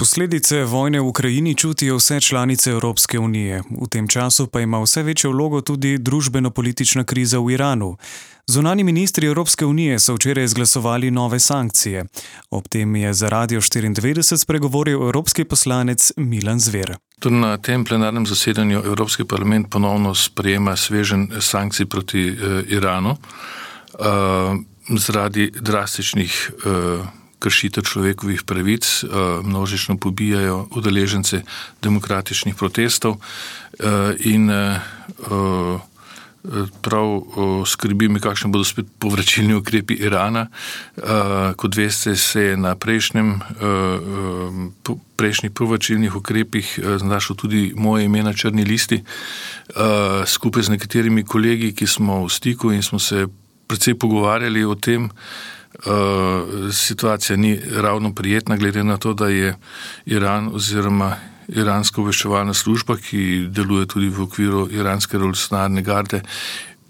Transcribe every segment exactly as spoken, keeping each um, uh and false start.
Posledice vojne v Ukrajini čutijo vse članice Evropske unije. V tem času pa ima vse večjo vlogo tudi družbeno-politična kriza v Iranu. Zunanji ministri Evropske unije so včeraj izglasovali nove sankcije. Ob tem je za Radio štiriindevetdeset spregovoril evropski poslanec Milan Zver. Tudi na tem plenarnem zasedanju Evropski parlament ponovno sprejema sveženj sankcij proti eh, Iranu eh, zaradi drastičnih eh, kršitev človekovih pravic, eh, množično pobijajo udeležence demokratičnih protestov eh, in eh, prav skrbi me, kakšne bodo spet povračilni ukrepi Irana. Kot veste, se je na prejšnjem, prejšnjih povračilnih ukrepih znašlo tudi moje ime na črni listi, skupaj z nekaterimi kolegi, ki smo v stiku in smo se precej pogovarjali o tem. Situacija ni ravno prijetna, glede na to, da je Iran oziroma iranska obveščevalna služba, ki deluje tudi v okviru iranske revolucionarne garde,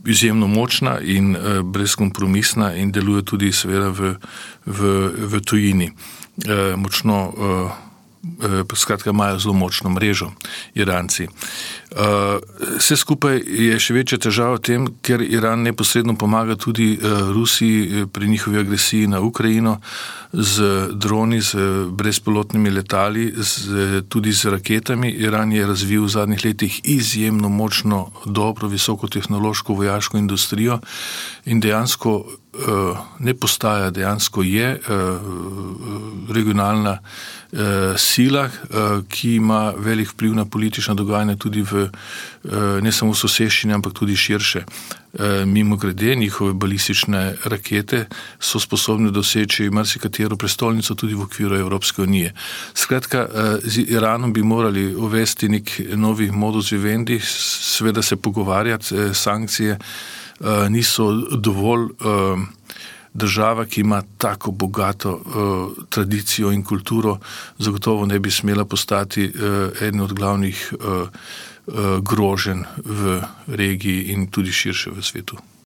izjemno močna in eh, brezkompromisna in deluje tudi seveda v, v, v tujini. Eh, močno, eh, eh, skratka, imajo zelo močno mrežo Iranci. Uh, vse skupaj je še večja težava v tem, ker Iran neposredno pomaga tudi uh, Rusiji pri njihovi agresiji na Ukrajino z droni, z brezpilotnimi letali, z, tudi z raketami. Iran je razvil v zadnjih letih izjemno močno, dobro, visokotehnološko vojaško industrijo in dejansko uh, ne postaja, dejansko je uh, regionalna uh, sila, uh, ki ima velik vpliv na politična dogajanja tudi v ne samo v soseščini, ampak tudi širše. Mimo grede, njihove balistične rakete so sposobne doseči marsikatero prestolnico tudi v okviru Evropske unije. Skratka, z Iranom bi morali uvesti nek novi modus vivendi, seveda se pogovarjati, sankcije niso dovolj. Država, ki ima tako bogato uh, tradicijo in kulturo, zagotovo ne bi smela postati uh, eden od glavnih uh, uh, groženj v regiji in tudi širše v svetu.